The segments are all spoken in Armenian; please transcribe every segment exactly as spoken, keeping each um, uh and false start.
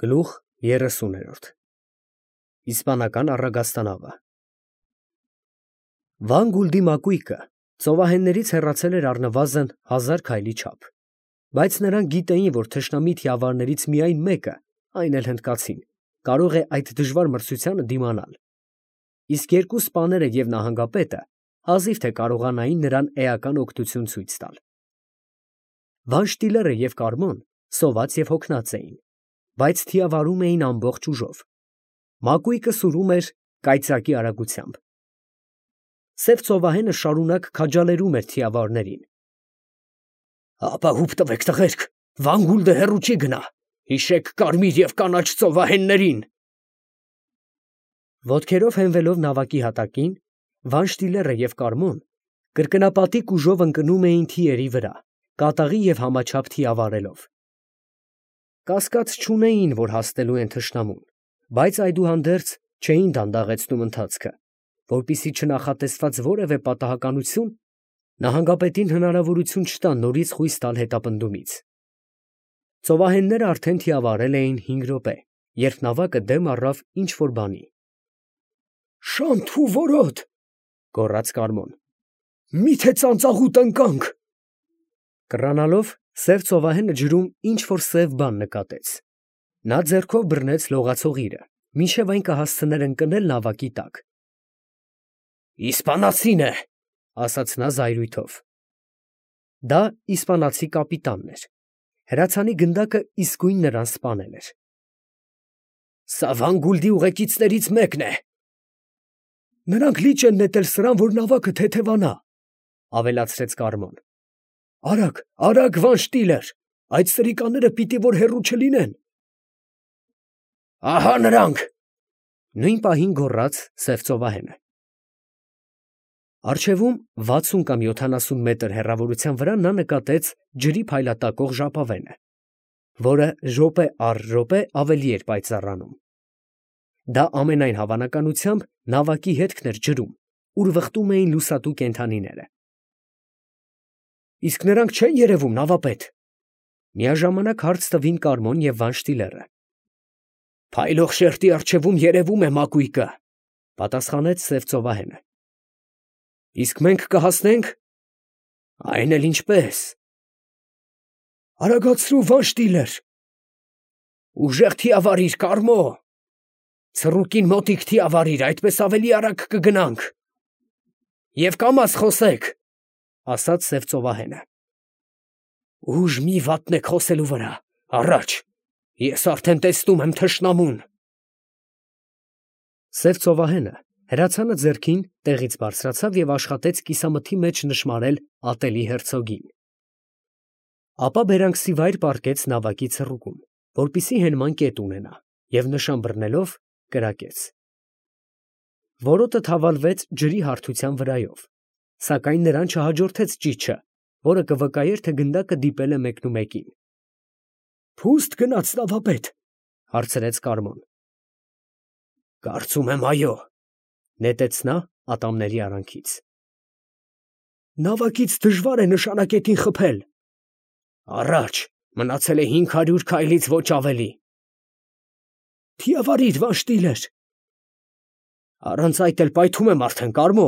Գլուխ երեսուներորդ Իսպանական առագաստանավը Վան Գուլդի մակույկը ծովահեններից հեռացել էր առնվազն հազար քայլի չափ, բայց նրանք գիտեին, որ թշնամի թիավարներից միայն մեկը, այն էլ հնդկացին, կարող է այդ դժվար մրցությանը դիմանալ, իսկ երկու սպաները և նահանգապետը հազիվ թե կարողանային նրան էական օգնություն ցույց տալ։ Վանշտիլերը և Կարմոն սոված և հոգնած էին, բայց թիավարում էին ամբողջ ուժով, մակույկը սուրում էր կայծակի արագությամբ։ Սև ծովահենը շարունակ քաջալերում էր թիավարներին։ «Ապա հուպ տվեք, տղերք, Վան Գուլդը հեռու չի գնա, հիշեք կարմիր և կանաչ ծովահեններին»։ Ոտքերով հենվելով նավակի հատակին, Վանշտիլերը և Կարմոն կրկնապատիկ ուժով ընկնում էին թիերի վրա, կատաղի և համաչափ թիավարելով։ Կասկած չունեին, որ հասնելու են թշնամուն, բայց այդուհանդերձ չէին դանդաղեցնում ընթացքը, որպեսզի չնախատեսված որևէ պատահականություն նահանգապետին հնարավորություն չտա նորից խույս տալ հետապնդումից։ Ծովահենները արդեն թիավարել էին հինգ րոպե, երբ նավակը դեմ առավ ինչ֊որ բանի։ «Շանթ ու որոտ», գոռաց Կարմոն, «մի՞թե ծանծաղուտ ընկանք»։ Կռանալով սև ծովահենը ջրում ինչ֊որ սև բան նկատեց։ Նա ձեռքով բռնեց լողացող իրը, մինչև այն կհասցներ ընկնել նավակի տակ։ «Իսպանացին է», ասաց նա զայրույթով։ Դա իսպանացի կապիտանն էր։ Հրացանի գնդակը իսկույն նրան սպանել էր։ «Սա Վան Գուլդի ուղեկիցներից մեկն է»։ «Նրանք լիճ են նետել սրան, որ նավակը թեթևանա», ավելացրեց Կարմոն։ «Արագ, արագ, Վանշտիլեր, այդ սրիկաները պիտի որ հեռու չլինեն»։ «Ահա նրանք», նույն պահին գոռաց սև ծովահենը։ Առջևում վաթսուն կամ յոթանասուն մետր հեռավորության վրա նա նկատեց ջրի փայլատակող ժապավենը, որը րոպե առ րոպե ավելի էր պայծառանում։ Դա ամենայն հավանականությամբ նավակի հետքն էր ջրում, ուր վխտում էին լուսատու կենդանիները։ «Իսկ նրանք չե՞ն երևում, նավապետ», միաժամանակ հարց տվին Կարմոն և Վանշտիլերը։ «Փայլող շերտի առջևում երևում է մակույկը», պատասխանեց սև ծովահենը։ «Իսկ մենք կհասնե՞նք»։ «Այն էլ ինչպես»։ «Արագացրու, Վանշտիլեր»։ «Ուժեղ թիավարիր, Կարմո»։ «Ցռուկին մոտիկ թիավարիր, այդպես ավելի արագ կգնանք»։ «Եվ կամաց խոսեք», ասաց սև ծովահենը։ «Ուժ մի վատնեք խոսելու վրա, առաջ, ես արդեն տեսնում եմ թշնամուն»։ Սև ծովահենը հրացանը ձեռքին տեղից բարձրացավ և աշխատեց կիսամթի մեջ նշմարել ատելի հերցոգին։ Ապա բերանքսիվայր պառկեց նավակի ցռուկում, որպեսզի հենման կետ ունենա, և նշան բռնելով կրակեց։ Որոտը թավալվեց ջրի հարթության վրայով, սակայն նրան չհաջորդեց ճիչը, որը կվկայեր, թե գնդակը դիպել է մեկնումեկին։ «Փուստ գնաց, նավապետ», հարցրեց Կարմոն։ «Կարծում եմ, այո», նետեց նա ատամների արանքից։ «Նավակից դժվար է նշանակետին խփել»։ «Առաջ, մնացել է հինգ հարյուր քայլից ոչ ավելի»։ «Թիավարիր, Վանշտիլեր»։ «Առանց այդ էլ պայթում եմ արդեն, Կարմո»,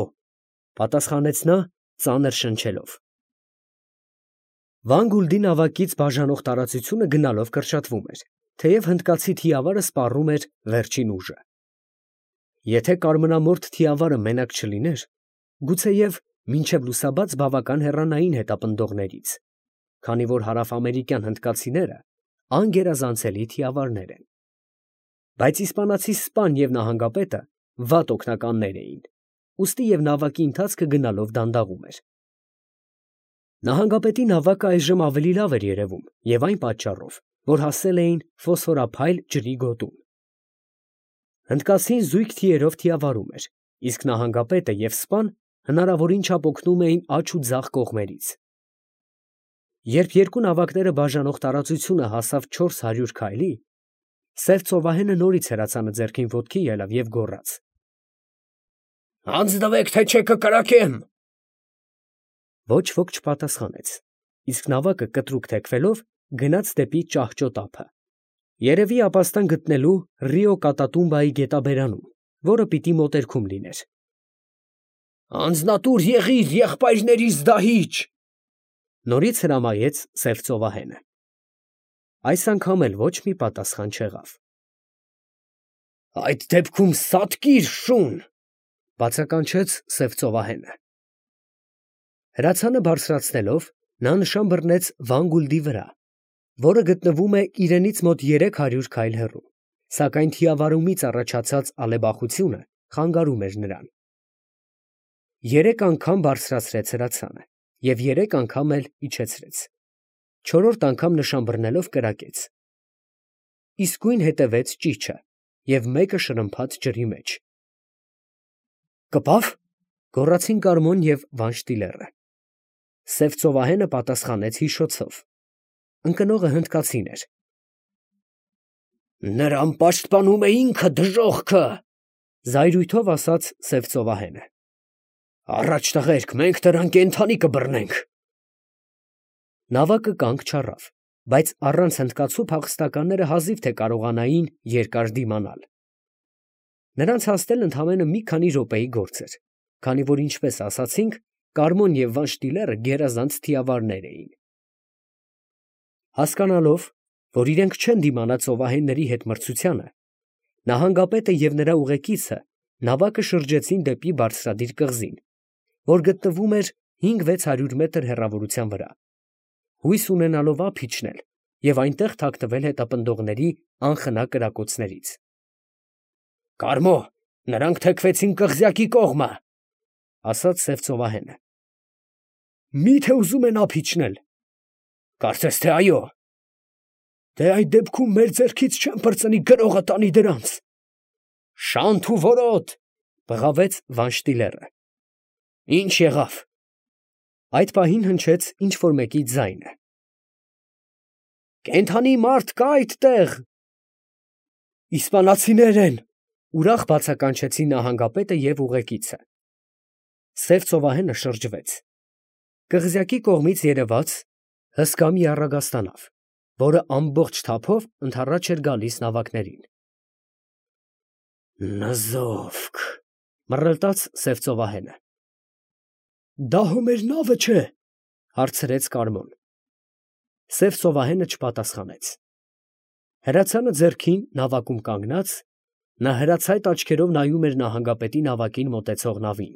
պատասխանեց նա ծանր շնչելով։ Վան Գուլդի նավակից բաժանող տարածությունը գնալով կրճատվում էր, թեև հնդկացի թիավարը սպառում էր վերջին ուժը։ Եթե կարմրամորթ թիավարը մենակ չլիներ, գուցեև մինչև լուսաբաց բավական հեռանային հետապնդողներից, քանի որ հարավամերիկյան հնդկացիները անգերազանցելի թիավարներ են։ Բայց իսպանացի սպան և նահանգապետը վատ օգնականներ էին, ուստի և նավակի ընթացքը գնալով դանդաղում էր։ Նահանգապետի նավակը այժմ ավելի լավ էր երևում և այն պատճառով, որ հասել էին ֆոսֆորափայլ ջրի գոտուն։ Հնդկացին զույգ թիերով թիավարում էր, իսկ նահանգապետը և սպան հնարավորին չափ օգնում էին աջ ու ձախ կողմերից։ Երբ երկու նավակները բաժանող տարածությունը հասավ չորս հարյուր քայլի, սև ծովահենը նորից հրացանը ձեռքին ոտքի ելավ և գոռաց. «Հանձնվեք, թե չէ կկրակեմ»։ Ոչ ոք չպատասխանեց, իսկ նավակը կտրուկ թեքվելով գնաց դեպի ճահճոտ ափը։ Երևի ապաստան գտնելու Ռիո Կատատումբայի գետաբերանում, որը պիտի մոտերքում լիներ։ Անձնատուր եղիր եղբայրներիս դահիճ, Նորից հրամայեց սև ծովահենը։ Այս անգամ էլ ոչ մի պատասխան չեղավ։ Այդ դեպքում սատկիր շուն, բացականչեց սև ծովահենը։ Հրացանը բարձրացնելով, նա նշան բռնեց Վանգուլդի վրա, որը գտնվում է իրենից մոտ երեք հարյուր քայլ հեռու, սակայն թիավարումից առաջացած ալեբախությունը խանգարում էր նրան։ Երեք անգամ բարձրացրեց հրացանը և երեք անգամ էլ իջեցրեց, չորրորդ անգամ նշան բռնելով կրակեց։ Իսկույն հետևեց ճիչը և մեկը շրմփաց ջրի մեջ։ Կպավ, գոռացին Կարմոն և Վանշտիլերը։ Սև ծովահենը պատասխանեց հիշոցով։ Ընկնողը հնդկացին էր։ Նրան պաշտպանում է ինքը դժոխքը, զայրույթով ասաց սև ծովահենը։ Առաջ տղերք, մենք նրան կենդանի կբռնենք։ Նավակը կանգ չառավ, բայց առանց հնդկացու փախստականները հազիվ թե կարողանային երկար դիմանալ։ Նրանց հասնելն ընդամենը մի քանի րոպեի գործ էր, քանի որ, ինչպես ասացինք, Կարմոն և Վանշտիլերը գերազանց թիավարներ էին։ Հասկանալով, որ իրենք չեն դիմանա ծովահենների հետ մրցությանը, նահանգապետը և նրա ուղեկիցը նավակը շրջեցին դեպի բարձրադիր կղզին, որ գտնվում էր հինգ֊վեց հարյուր մետր հեռավորության վրա, հույս ունենալով ափ իջնել և այնտեղ թաքնվել հետապնդողների անխնա կրակոցներից։ Կարմո, նրանք թեքվեցին կղզյակի կողմը, ասաց սև ծովահենը։ Մի՞թե ուզում են ափ իջնել։ Կարծես թե այո։ Դե այդ դեպքում մեր ձեռքից չեն պրծնի գրողը տանի դրանց։ Շանթ ու որոտ, բղավեց Վանշտիլերը։ Ինչ եղավ։ Այդ պահին հնչեց ինչ֊որ մեկի ձայնը։ Կենդանի մարդ կա այդտեղ։ Իսպանացիներ են, ուրախ բացականչեցին նահանգապետը և ուղեկիցը։ Սև ծովահենը շրջվեց։ Կղզյակի կողմից երևաց հսկա մի առագաստանավ, որը ամբողջ թափով ընդառաջ էր գալիս նավակներին։ Նզովք, մռլտաց սև ծովահենը։ Դա հո մեր նավը չէ, հարցրեց Կարմոն։ Սև ծովահենը չպատասխանեց։ Հրացանը ձեռքին նավակում կանգնած, նա հրացայտ աչքերով նայում էր նահանգապետի նավակին մոտեցող նավին։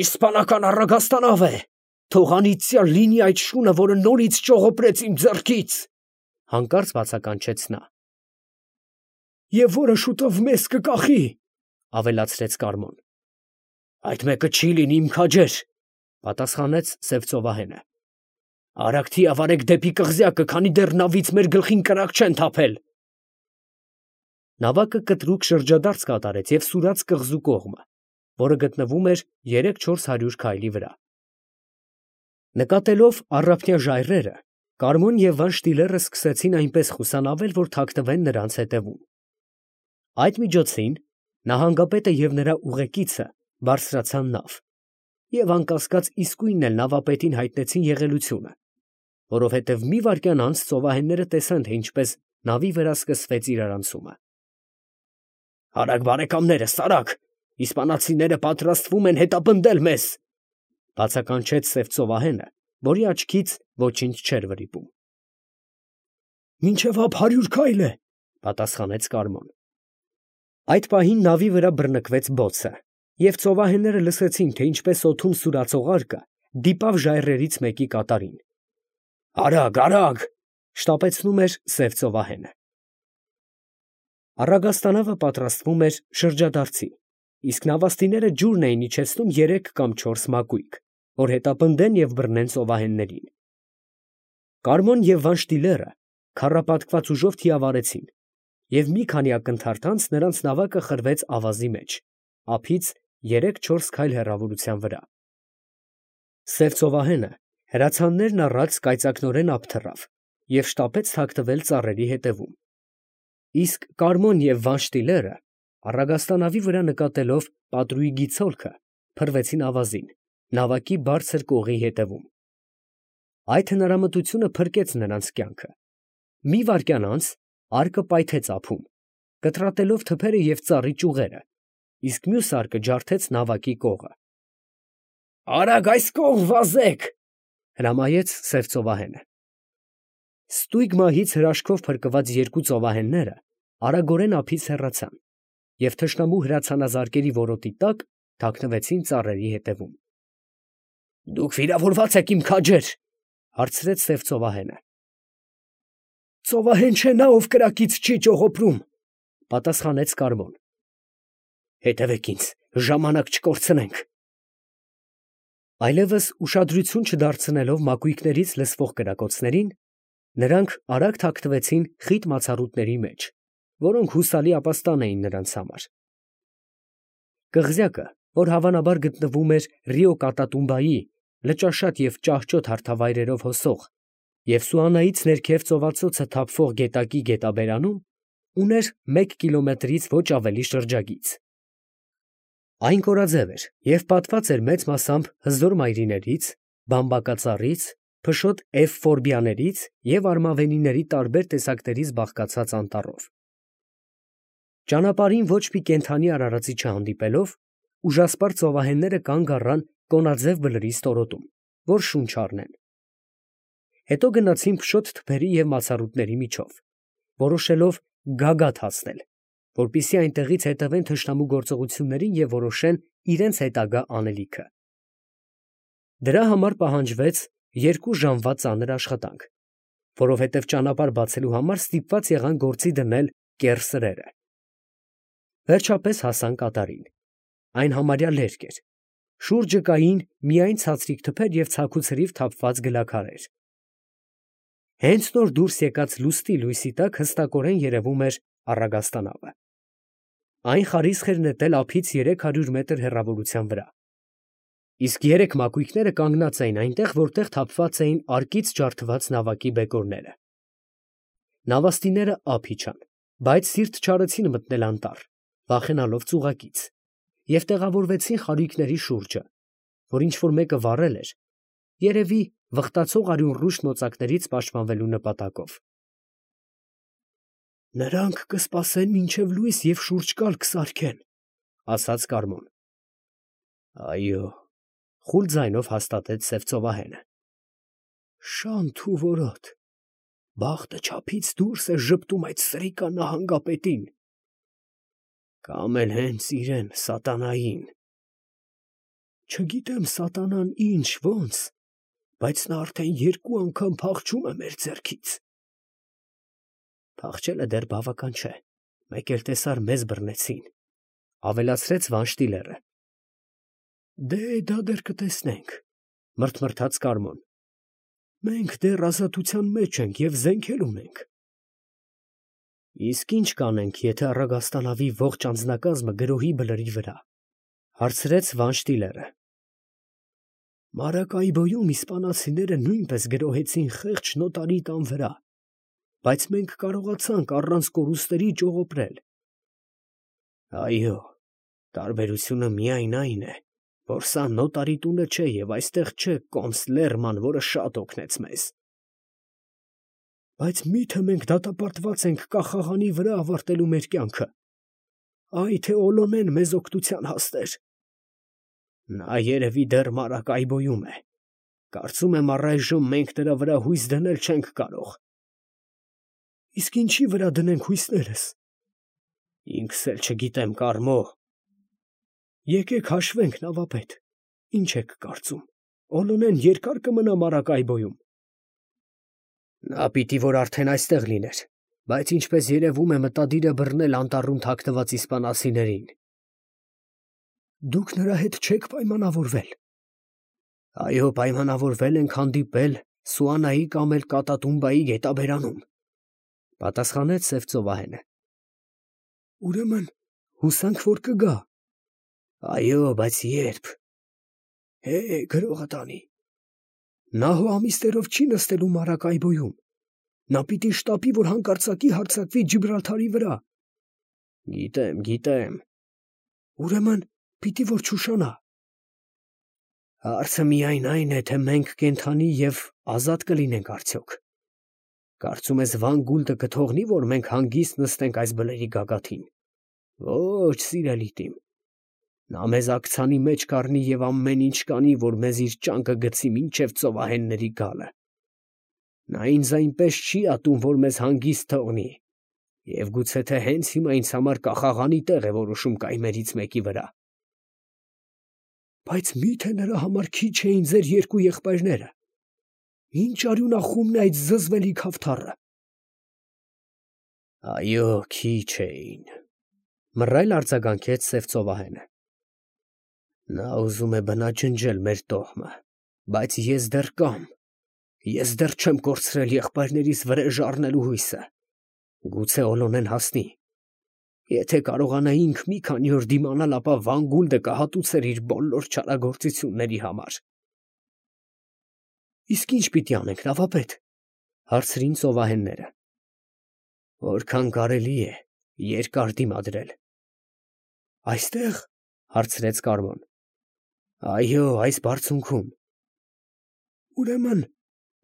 Իսպանական առագաստանավ է, թող անիծյալ լինի այդ շունը, որը նորից ճողոպրեց իմ ձեռքից, հանկարծ բացականչեց նա։ Եվ որը շուտով մեզ կկախի, ավելացրեց Կարմոն։ Այդ մեկը չի լինի իմ քաջեր, պատասխանեց սև ծովահենը։ Արագ թիավարեք դեպի կղզյակը, քանի դեռ նավից մեր գլխին կրակ չեն թափել։ Նավակը կտրուկ շրջադարձ կատարեց և սուրաց կղզու կողմը, որը գտնվում էր երեք֊չորս հարյուր քայլի վրա։ Նկատելով առափնյա ժայռերը, Կարմոն և Վանշտիլերը սկսեցին այնպես խուսանավել, որ թաքնվեն նրանց հետևում։ Այդ միջոցին նահանգապետը և նրա ուղեկիցը բարձրացան նավ և անկասկած իսկույնն էլ նավապետին հայտնեցին եղելությունը, որովհետև մի վայրկյան անց ծովահենները տեսան, թե ինչպես նավի վրա սկսվեց իրարանցումը։ Արագ բարեկամներս, արագ, իսպանացիները պատրաստվում են հետապնդել մեզ, բացականչեց սև ծովահենը, որի աչքից ոչինչ չէր վրիպում։ Մինչև ափ հարյուր քայլ է, պատասխանեց Կարմոն։ Այդ պահին նավի վրա բռնկվեց բոցը, և ծովահենները լսեցին, թե ինչպես օդում սուրացող արկը դիպավ ժայռերից մեկի կատարին։ Արագ, արագ, շտապեցնում էր սև ծովահենը։ Առագաստանավը պատրաստվում էր շրջադարձի, իսկ նավաստիները ջուրն էին իջեցնում երեք կամ չորս մակույկ, որ հետապնդեն և բռնեն ծովահեններին։ Կարմոն և Վանշտիլերը քառապատկված ուժով թիավարեցին, և մի քանի ակնթարթ անց նրանց նավակը խրվեց ավազի մեջ, ափից երեք֊չորս քայլ հեռավորության վրա։ Սև ծովահենը հրացաններն առած կայծակնորեն ափ թռավ և շտապեց թաքնվել ծառերի հետևում, իսկ Կարմոն և Վանշտիլերը, առագաստանավի վրա նկատելով պատրույգի ցոլքը, փռվեցին ավազին, նավակի բարձր կողի ետևում։ Այդ հնարամտությունը փրկեց նրանց կյանքը, Մի վայրկյան անց արկը պայթեց ափում, կտրատելով թփերը և ծառի ճյուղերը, իսկ մյուս արկը ջարդեց նավակի կողը։ Արագ այս կողմ վազեք, հրամայեց սև ծովահենը։ Ստույգ մահից հրաշքով փրկված երկու ծովահենները արագորեն ափից հեռացան և թշնամու հրացանազարկերի որոտի տակ թաքնվեցին ծառերի ետևում։ Դուք վիրավորված եք, իմ քաջեր, հարցրեց սև ծովահենը։ Ծովահեն չէ նա, ով կրակից չի ճողոպրում, պատասխանեց Կարմոն։ Հետևեք ինձ, ժամանակ չկորցնենք։ Այլևս ուշադրություն չդարձնելով մակույկներից լսվող կրակոցներին, նրանք արագ թաքնվեցին խիտ մացառուտների մեջ, որոնք հուսալի ապաստան էին նրանց համար։ Կղզյակը, որ հավանաբար գտնվում էր Ռիո Կատատումբայի լճաշատ և ճահճոտ հարթավայրերով հոսող և Սուանայից ներքև ծովածոցը թափվող գետակի գետաբերանում, ուներ մեկ կիլոմետրից ոչ ավելի շրջագիծ։ Այն կորաձև էր և պատված էր մեծ մասամբ հզոր մայրիներից, բամբակածառից, փշոտ էվֆորբիաներից և արմավենիների տարբեր տեսակներից բաղկացած անտառով։ Ճանապարհին ոչ մի կենդանի արարածի չհանդիպելով, ուժասպառ ծովահենները կանգ առան կոնաձև բլրի ստորոտում, որ շունչ առնեն։ Հետո գնացին փշոտ թփերի և մացառուտների միջով, որոշելով գագաթ հասնել, որպեսզի այնտեղից հետևեն թշնամու գործողություններին և որոշեն իրենց հետագա անելիքը։ Դրա համար պահանջվեց երկու ժամվա ծանր աշխատանք, որովհետև ճանապարհ բացելու համար ստիպված եղան գործի դնել կեռ սրերը։ Վերջապես հասան կատարին։ Այն համարյա լերկ էր։ Շուրջը կային միայն ցածրիկ թփեր և ցաքուցրիվ թափված գլաքարեր։ Հենց նոր դուրս եկած լուսնի լույսի տակ հստակորեն երևում էր առագաստանավը։ Այն խարիսխ էր նետել ափից երեք հարյուր մետր հեռավորության վրա, իսկ երեք մակույկները կանգնած էին այնտեղ, որտեղ թափված էին արկից ջարդված նավակի բեկորները։ Նավաստիները ափ իջան, բայց սիրտ չարեցին մտնել անտառ, վախենալով ծուղակից, և տեղավորվեցին խարույկների շուրջը, որ ինչ֊որ մեկը վառել էր, երևի վխտացող արյունռուշ նոծակներից պաշտպանվելու նպատակով։ Նրանք կսպասեն մինչև լույս և շուրջկալ կսարքեն, ասաց Կարմոն։ Այո, խուլ ձայնով հաստատեց սև ծովահենը։ Շանթ ու որոտ, բախտը չափից դուրս է ժպտում այդ սրիկա նահանգապետին, կամ էլ հենց իրեն, սատանային։ Չգիտեմ սատանան ինչ, ոնց, բայց նա արդեն երկու անգամ փախչում է մեր ձեռքից։ Փախչելը դեռ բավական չէ, մեկ էլ տեսար մեզ բռնեցին, ավելացրեց Վանշտիլերը։ Դե դա դեռ կտեսնենք, մրթմրթաց Կարմոն։ Մենք դեռ ազատության մեջ ենք և զենք էլ ունենք։ Իսկ ինչ կանենք, եթե առագաստանավի ողջ անձնակազմը գրոհի բլրի վրա, հարցրեց Վանշտիլերը։ Մարակայբոյում իսպանացիները նույնպես գրոհեցին խեղճ նոտարի տան վրա, բայց մենք կարողացանք առանց կորուստների ճողոպրել։ Այո, տարբերությունը միայն այն է, որ սա նոտարի տունը չէ և այստեղ չէ կոնս Լերման, որը շատ օգնեց մեզ։ Բայց մի՞թե մենք դատապարտված ենք կախաղանի վրա ավարտելու մեր կյանքը։ Այ թե Օլոնեն մեզ օգնության հասներ։ Նա երևի դեռ Մարակայբոյում է։ Կարծում եմ առայժմ մենք նրա վրա հույս դնել չենք կարող։ Իսկ ինչի վրա դնենք հույսներս։ Ինքս էլ չգիտեմ, Կարմո։ Եկեք հաշվենք, նավապետ, ինչ եք կարծում, Օլոնեն երկա՞ր կմնա Մարակայբոյում։ Նա պիտի որ արդեն այստեղ լիներ, բայց ինչպես երևում է մտադիր է բռնել անտառում թաքնված իսպանացիներին։ Դուք նրա հետ չեք պայմանավորվել։ Այո, պայմանավորվել ենք հանդիպել Սուանայի կամ էլ Կատատումբայի գետաբերանում, պատասխանեց սև ծովահենը։ Ուրեմն հուսանք, որ կգա։ Այո, բայց երբ։ Հե, գրողը տանի։ Նա հո ամիսներով չի նստելու Մարակայբոյում։ Նա պիտի շտապի, որ հանկարծակի հարձակվի Ջիբրալթարի վրա։ Գիտեմ, գիտեմ։ Ուրեմն պիտի որ չուշանա։ Հարցը միայն այն է, թե մենք կենդանի և ազատ կլինենք արդյոք։ Կարծում ես Վան Գուլդը կթողնի, որ մենք հանգիստ նստենք այս բլրի գագաթին։ Ոչ, սիրելի տիմ, նա մեզ աքցանի մեջ կառնի և ամեն ինչ կանի, որ մեզ իր ճանկը գցի մինչև ծովահենների գալը։ Նա ինձ այնպես չի ատում, որ մեզ հանգիստ թողնի, և գուցե թե հենց հիմա ինձ համար կախաղանի տեղ է որոշում կայմերից մեկի վրա։ Բայց մի՞թե նրա համար քիչ էին ձեր երկու եղբայրները։ Ինչ արյունախումն է այդ զզվելի քավթառը։ Այո, քիչ էին, մռայլ արձագանքեց սև ծովահենը։ Նա ուզում է բնաջնջել մեր տոհմը, բայց ես դեռ կամ, ես դեռ չեմ կորցրել եղբայրներիս վրեժ առնելու հույսը։ Գուցե Օլոնեն հասնի։ Եթե կարողանա ինք մի քանի օր դիմանալ, ապա Վան Գուլդը կհատուցեր իր բոլոր չարագործությունների համար։ Իսկ ինչ պիտի անենք, նավապետ, հարցրին ծովահենները։ Որքան կարելի է, երկար դիմադրել։ Այստեղ, հարցրեց Կարմոն։ Այո, այս բարձունքում։ Ուրեմն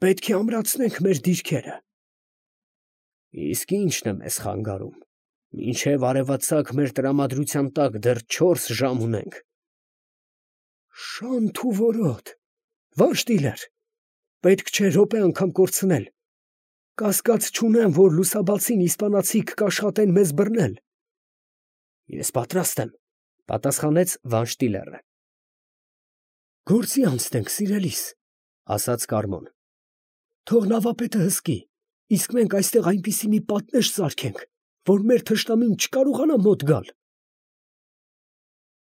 պետք է ամրացնենք մեր դիրքերը։ Իսկ ի՞նչն է մեզ խանգարում։ Մինչև արևածագ մեր տրամադրության տակ դեռ չորս ժամ ունենք։ Շանթ ու որոտ, Վանշտիլեր, պետք չէ րոպե անգամ կորցնել։ Կասկած չունեմ, որ լուսաբացին իսպանացիք կաշխատեն մեզ բռնել։ Ես պատրաստ եմ, պատասխանեց Վանշտիլերը։ Գործի անցնենք, սիրելիս, ասաց Կարմոն։ Թող նավապետը հսկի, իսկ մենք այստեղ այնպիսի մի պատնեշ սարքենք, որ մեր թշնամին չկարողանա մոտ գալ։